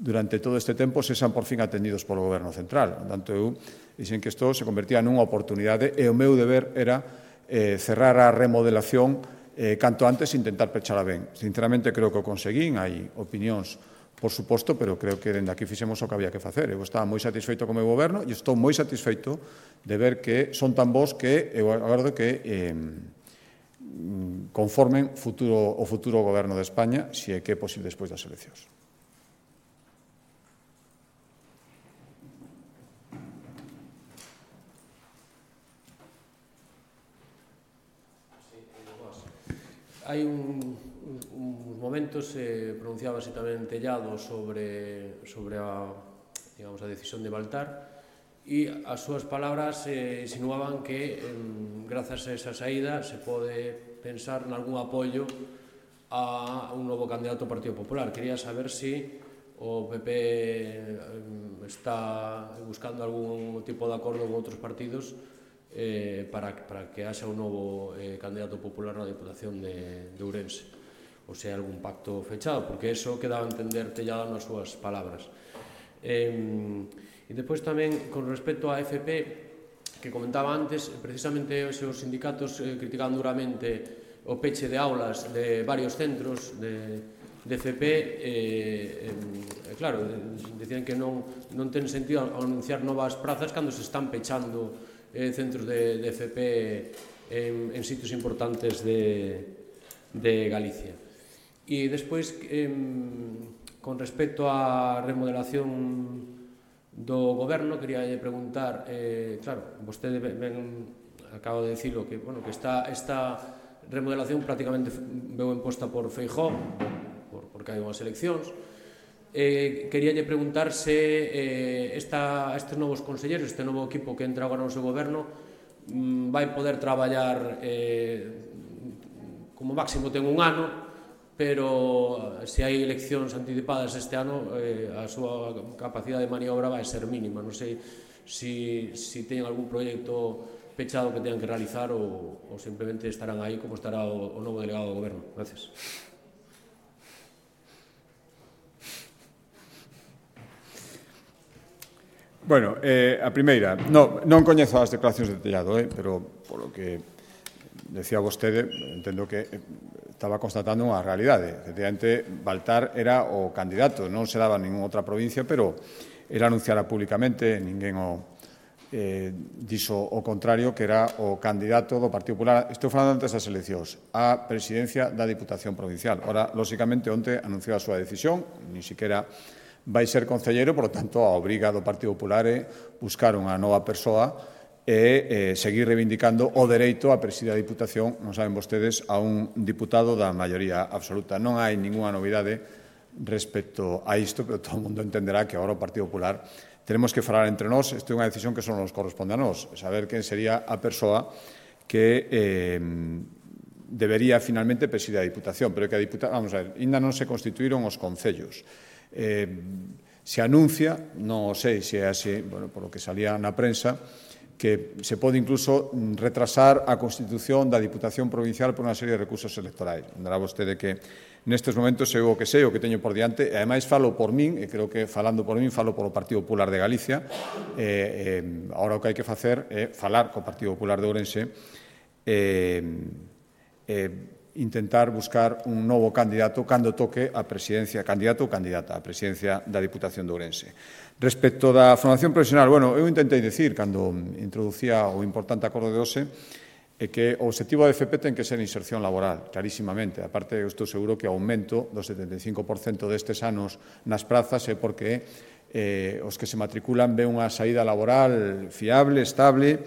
durante todo este tempo sexan por fin atendidos polo goberno central. Por tanto, eu dixen que isto se convertía nunha oportunidade e o meu deber era eh, cerrar a remodelación eh, canto antes e intentar pechala ben. Sinceramente, creo que o conseguín, hai opinións por suposto, pero creo que dende aquí fixemos o que había que facer. Eu estaba moi satisfeito co meu goberno e estou moi satisfeito de ver que son tan bons que eu agardo que eh, conformen futuro, o futuro goberno de España, se é que é posible despois das eleccións. Hai un, uns momentos eh, pronunciábase tamén Tellado sobre, sobre a, digamos, a decisión de Baltar e as súas palabras eh, insinuaban que eh, grazas a esa saída se pode pensar nalgún apoio a un novo candidato ao Partido Popular. Quería saber se o P P eh, está buscando algún tipo de acordo con outros partidos Eh, para, para que haxa un novo eh, candidato popular na Diputación de, de Ourense, ou sea, algún pacto fechado, porque eso quedaba a entender Tellado nas súas palabras. Eh, e depois tamén, con respecto á F P, que comentaba antes, precisamente os seus sindicatos eh, criticaban duramente o peche de aulas de varios centros de, de F P, eh, eh, claro, decían que non, non ten sentido anunciar novas prazas cando se están pechando eh, centros de, de F P en, en sitios importantes de, de Galicia. E despois, eh, con respecto á remodelación do goberno, quería preguntar, eh, claro, vostede ben, acabo de dicilo, que, bueno, que esta, esta remodelación prácticamente veu imposta por Feijóo, por, porque hai unhas eleccións. Eh, queríalle preguntar se eh, esta, estes novos conselleiros, este novo equipo que entra agora no seu goberno, mm, vai poder traballar eh, como máximo ten un ano, pero se hai eleccións anticipadas este ano, eh, a súa capacidade de maniobra vai ser mínima. Non sei se si, si teñen algún proxecto pechado que teñan que realizar ou, ou simplemente estarán aí como estará o, o novo delegado do goberno. Gracias. Bueno, eh, a primeira, no, non coñezo as declaracións de Tellado, eh, pero polo que decía vostede, entendo que estaba constatando unha realidade. Efectivamente, Baltar era o candidato, non se daba en ninguna outra provincia, pero era anunciara públicamente, ninguén o eh, dixo o contrario, que era o candidato do Partido Popular, estou falando antes das eleccións, a presidencia da Diputación Provincial. Ora, lóxicamente, onte anunciou a súa decisión, ni siquiera vai ser concelleiro, por lo tanto, a obriga do Partido Popular é buscar unha nova persoa e eh, seguir reivindicando o dereito a presidir a Diputación, non saben vostedes, a un diputado da maioría absoluta. Non hai ninguna novidade respecto a isto, pero todo o mundo entenderá que agora o Partido Popular tenemos que falar entre nós. Isto é unha decisión que só nos corresponde a nós, saber quen sería a persoa que eh, debería finalmente presidir a Diputación, pero que a Diputación, vamos a ver, ainda non se constituíron os concellos. Eh, se anuncia, non sei se é así, bueno, por lo que salía na prensa, que se pode incluso retrasar a constitución da Diputación Provincial por unha serie de recursos electorais. Andará vostede que nestes momentos eu o que sei, o que teño por diante, e ademais falo por min, e creo que falando por min, falo polo Partido Popular de Galicia, e, e agora o que hai que facer é falar co Partido Popular de Ourense e, e intentar buscar un novo candidato cando toque a presidencia, candidato ou candidata a presidencia da Diputación de Ourense. Respecto da formación profesional, bueno, eu intentei dicir, cando introducía o importante acordo de hoxe, é que o objetivo da F P ten que ser inserción laboral, clarísimamente. A parte, eu estou seguro que o aumento do setenta e cinco por cento destes anos nas prazas é porque eh, os que se matriculan ven unha saída laboral fiable, estable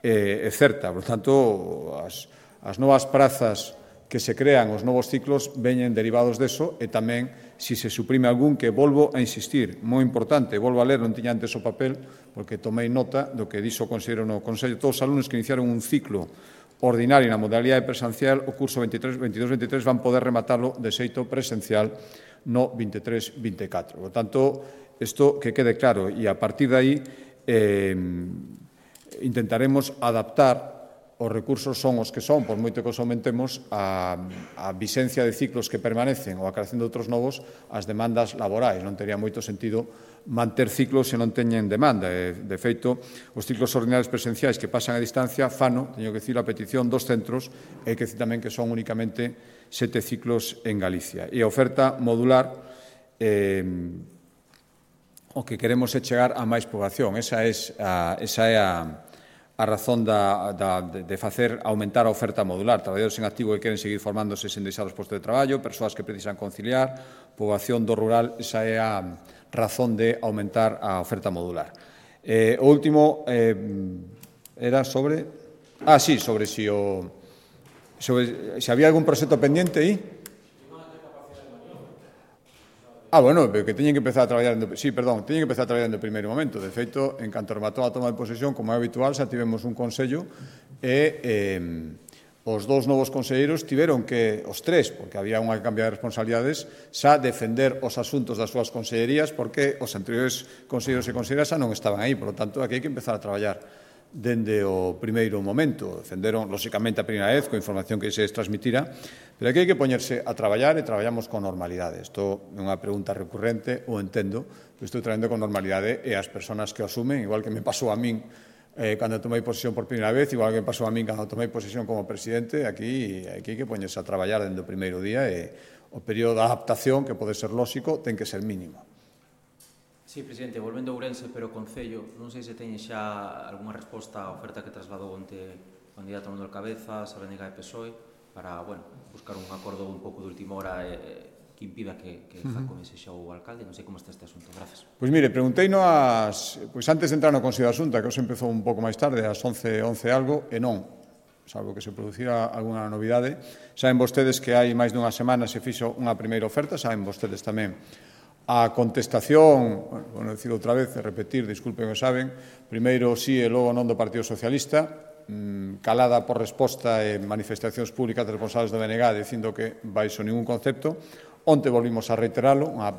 eh, e certa. Por tanto, as, as novas prazas que se crean, os novos ciclos, veñen derivados deso e tamén, se se suprime algún, que volvo a insistir, moi importante, volvo a ler, non tiña antes o papel, porque tomei nota do que dixo o conselleiro no Consello, todos os alumnos que iniciaron un ciclo ordinario na modalidade presencial, o curso veintidós veintitrés van poder rematarlo de xeito presencial no veintitrés veinticatro. Por tanto, isto que quede claro, e a partir de aí eh, intentaremos adaptar. Os recursos son os que son, por moito que os aumentemos, a, a vixencia de ciclos que permanecen ou a creación de outros novos, as demandas laborais. Non tería moito sentido manter ciclos se non teñen demanda. De feito, os ciclos ordinarios presenciais que pasan a distancia, fano, teño que dicir, a petición dos centros, e que tamén que son únicamente sete ciclos en Galicia. E a oferta modular, eh, o que queremos é chegar a máis poboación. Esa é a, esa é a a razón da, da, de facer aumentar a oferta modular. Traballadores en activo que queren seguir formándose sen deixar os postos de traballo, persoas que precisan conciliar, poboación do rural, esa é a razón de aumentar a oferta modular. Eh, o último eh, era sobre... Ah, sí, sobre si o... Sobre se había algún proxecto pendiente aí. Ah, bueno, que teñen que empezar a traballar en... Sí, perdón, teñen que empezar a traballar en o primeiro momento. De feito, en canto rematou a toma de posesión, como é habitual, xa tivemos un consello e eh, os dous novos conselleiros tiveron que, os tres, porque había unha cambia de responsabilidades, xa defender os asuntos das súas consellerías porque os anteriores conselleiros e conselleiras xa non estaban aí. Por lo tanto, aquí hai que empezar a traballar dende o primeiro momento. Defenderon, lóxicamente, a primeira vez, coa información que se les transmitira, pero aquí hai que poñerse a traballar e traballamos con normalidade. Isto é unha pregunta recurrente, o entendo, que estou traendo con normalidade e as persoas que o asumen, igual que me pasou a min eh, cando tomei posesión por primeira vez, igual que me pasou a min cando tomei posesión como presidente, aquí, aquí hai que poñerse a traballar dende o primeiro día e o período de adaptación, que pode ser lóxico, ten que ser mínimo. Sí, presidente, volvendo a Ourense, pero o Concello, non sei se teñe xa algunha resposta á oferta que trasladou onte o candidato Manuel Cabezas, a B N G e P S O E, para, bueno, buscar un acordo un pouco de última hora e, que impida que, que Jacome sexa o alcalde. Non sei como está este asunto. Gracias. Pois mire, preguntei no as, pois antes de entrar no Consello de Asunta, que hoxe empezou un pouco máis tarde, ás once, once algo, e non, salvo que se producira alguna novidade. Saben vostedes que hai máis dunha semana se fixo unha primeira oferta, saben vostedes tamén a contestación, bueno, bueno, decir outra vez, repetir, disculpen que saben, primeiro sí e logo non do Partido Socialista, calada por resposta e manifestacións públicas de responsables do B N G dicindo que baixo ningún concepto. Onte volvimos a reiteralo, a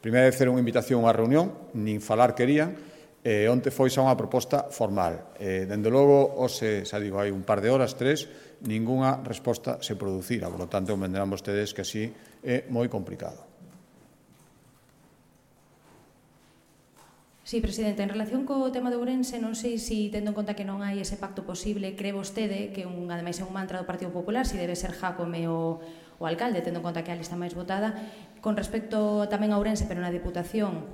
primeira vez era unha invitación a unha reunión, nin falar querían, e onte foi xa unha proposta formal. E, dende logo, hoxe, xa digo, hai un par de horas, tres, ningunha resposta se producira, por lo tanto, entenderán vostedes que así é moi complicado. Sí, presidente, en relación co tema de Ourense, non sei se, tendo en conta que non hai ese pacto posible, cree vostede que, un, ademais, é un mantra do Partido Popular, se debe ser Jacome o, o alcalde, tendo en conta que é a lista máis votada, con respecto tamén a Ourense, pero na Diputación,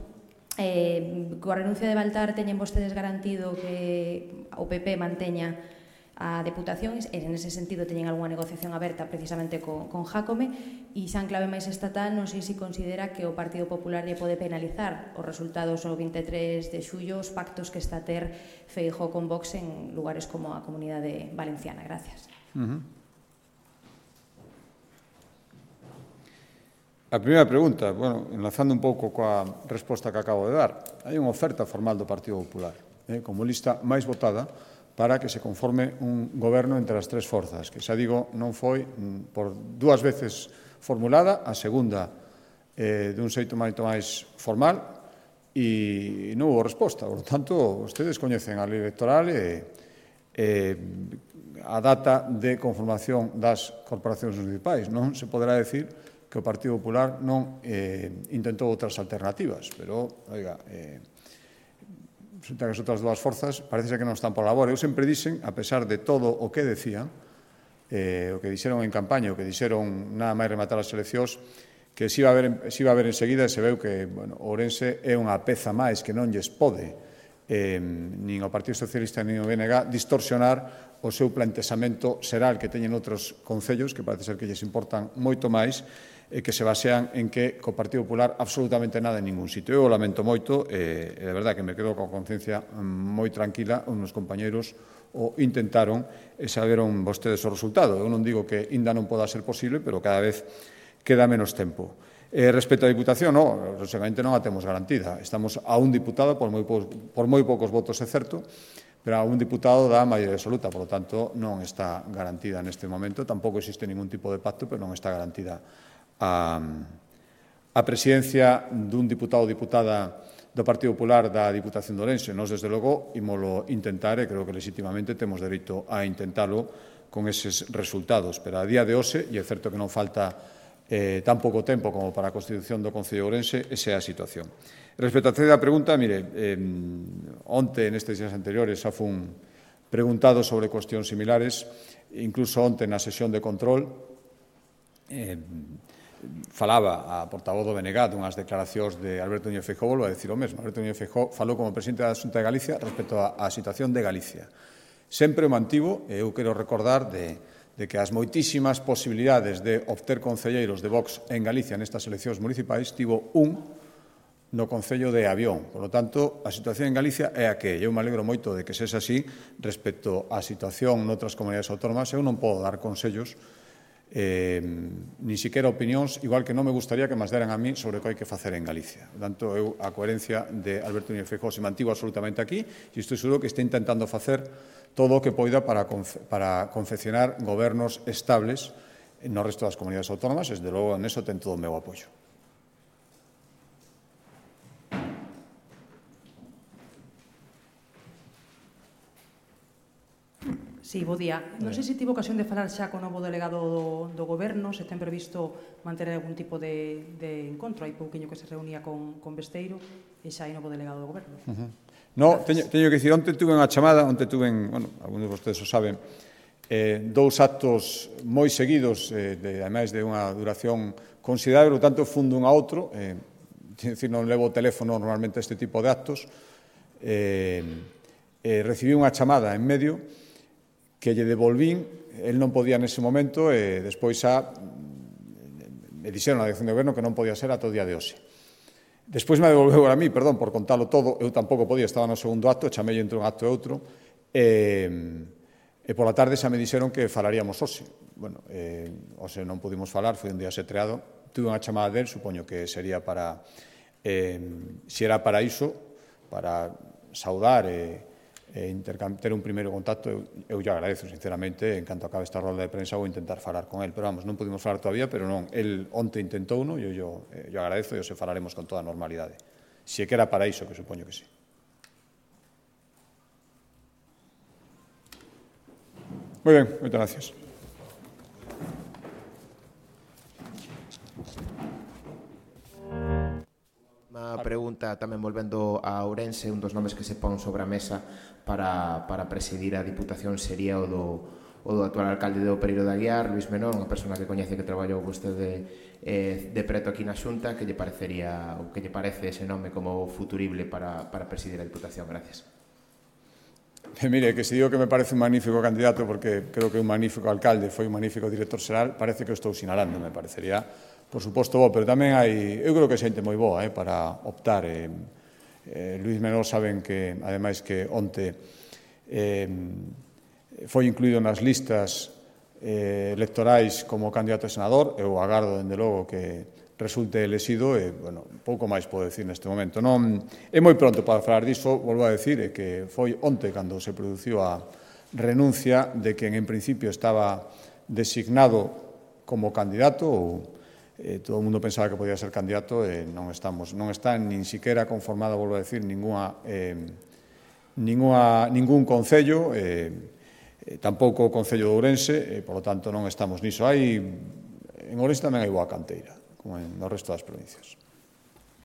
eh, coa renuncia de Baltar, teñen vostedes garantido que o P P manteña a Deputación, e en ese sentido teñen algunha negociación aberta precisamente con, con Jacome, e xa en clave máis estatal non sei se considera que o Partido Popular lle pode penalizar os resultados o vinte e tres de xullo, os pactos que está a ter Feijóo con Vox en lugares como a Comunidade Valenciana. Gracias. Uh-huh. A primeira pregunta, bueno, enlazando un pouco coa resposta que acabo de dar, hai unha oferta formal do Partido Popular, eh, como lista máis votada, para que se conforme un goberno entre as tres forzas, que xa digo, non foi por dúas veces formulada, a segunda eh, dun xeito moito máis formal, e non houve resposta. Por tanto, vostedes coñecen a lei electoral e, e a data de conformación das corporacións municipais. Non se poderá decir que o Partido Popular non eh, intentou outras alternativas, pero, oiga, eh, resulta que as outras dúas forzas parece que non están por labor. Eu sempre dixen, a pesar de todo o que decían, eh, o que dixeron en campaña, o que dixeron nada máis rematar as eleccións, que se iba a ver, se iba a ver enseguida, se veu que, bueno, Ourense é unha peza máis que non lles pode eh, nin o Partido Socialista nin o B N G distorsionar o seu plantexamento xeral que teñen outros concellos, que parece ser que lles importan moito máis, e que se basean en que co Partido Popular absolutamente nada en ningún sitio. Eu o lamento moito, e de verdade que me quedo con conciencia moi tranquila, os meus compañeiros o intentaron e saberon vostedes o resultado. Eu non digo que ainda non poda ser posible, pero cada vez queda menos tempo. Eh, respecto á Diputación, non, lógicamente non a temos garantida. Estamos a un diputado, por moi, po, por moi poucos votos, é certo, pero a un diputado da maioría absoluta, por lo tanto, non está garantida neste momento. Tampouco existe ningún tipo de pacto, pero non está garantida a, a presidencia dun diputado ou diputada do Partido Popular da Diputación de Ourense. Nos, desde logo, ímolo intentar e creo que legítimamente temos dereito a intentalo con eses resultados. Pero a día de hoxe, e é certo que non falta eh, tan pouco tempo como para a constitución do Concello de Ourense, esa é a situación. Respecto á terceira pregunta, mire, eh, onte, nestes días anteriores, xa fun preguntado sobre cuestións similares, incluso onte na sesión de control, eh, falaba a portavoz do B N G dunhas declaracións de Alberto Núñez Feijóo, volvo a decir o mesmo. Alberto Núñez Feijóo falou como presidente da Xunta de Galicia respecto á situación de Galicia. Sempre o mantivo, e eu quero recordar de, de que as moitísimas posibilidades de obter concelleiros de Vox en Galicia nestas eleccións municipais tivo un no Concello de Avión. Por lo tanto, a situación en Galicia é a que eu me alegro moito de que sexa así respecto á situación noutras comunidades autónomas. Eu non podo dar consellos Eh, ni siquiera opinións, igual que non me gustaría que μας deran a mí sobre o que hai que facer en Galicia. Por tanto, eu, a coherencia de Alberto Núñez Feijóo se mantivo absolutamente aquí e estou seguro que está intentando facer todo o que poida para, confe para confeccionar gobernos estables no resto das comunidades autónomas. Desde logo, en eso ten todo o meu apoio. Sí, bo día. Non sei se tivo ocasión de falar xa co novo delegado do, do Goberno, se ten previsto manter algún tipo de, de encontro. Hai pouquiño que se reunía con, con Besteiro e xa hai novo delegado do Goberno. Uh -huh. No, teño, teño que dicir, onte tuve unha chamada, onte tuve, bueno, algunos de vostedes o saben, eh, dous actos moi seguidos, eh, de, ademais de unha duración considerable, tanto fun dun a outro, eh, decir, non levo o teléfono normalmente a este tipo de actos, eh, eh, recibí unha chamada en medio que lle devolvín, el non podía nese momento, e despois xa me dixeron na dirección de goberno que non podía ser ata o día de hoxe. Despois me devolveu a mí, perdón, por contalo todo, eu tampouco podía, estaba no segundo acto, chamei entre un acto e outro, e, e pola tarde xa me dixeron que falaríamos hoxe. Bueno, eh, hoxe non pudimos falar, foi un día setreado, tuve unha chamada del, supoño que sería para, eh, se era para iso, para saudar e, e ter un primeiro contacto, eu, eu lle agradezo, sinceramente, en canto acabe esta rolda de prensa vou intentar falar con el, pero vamos, non pudimos falar todavía, pero non, el onte intentou, no, e eu lle agradezo e o se falaremos con toda a normalidade. Se que era para iso, que supoño que sí. Moi ben, moitas gracias. Unha pregunta tamén volvendo a Ourense, un dos nomes que se pon sobre a mesa para, para presidir a Diputación sería o do, o do actual alcalde de Pereiro de Aguiar, Luís Menor, unha persona que coñece que traballou vostede eh, de preto aquí na Xunta, que lle parecería, ou que lle parece ese nome como futurible para, para presidir a Diputación. Gracias. E mire, que se digo que me parece un magnífico candidato porque creo que un magnífico alcalde foi un magnífico director xeral, parece que o estou sinalando, me parecería, por suposto, bo, pero tamén hai, eu creo que xente moi boa eh, para optar. Eh, eh, Luís Menor saben que, ademais, que onte eh, foi incluído nas listas eh, electorais como candidato a senador, eu agardo, dende logo, que resulte elexido e, bueno, pouco máis podo decir neste momento. Non, é moi pronto para falar diso, volvo a decir, é que foi onte cando se produciu a renuncia de quen en principio estaba designado como candidato, ou eh, todo o mundo pensaba que podía ser candidato, e non estamos, non está nin siquiera conformada, volvo a decir, ninguna, eh, ninguna, ningún concello, eh, eh, tampouco o Concello de Ourense, e, por lo tanto, non estamos niso. Hai, en Ourense tamén hai boa canteira, como en o resto das provincias.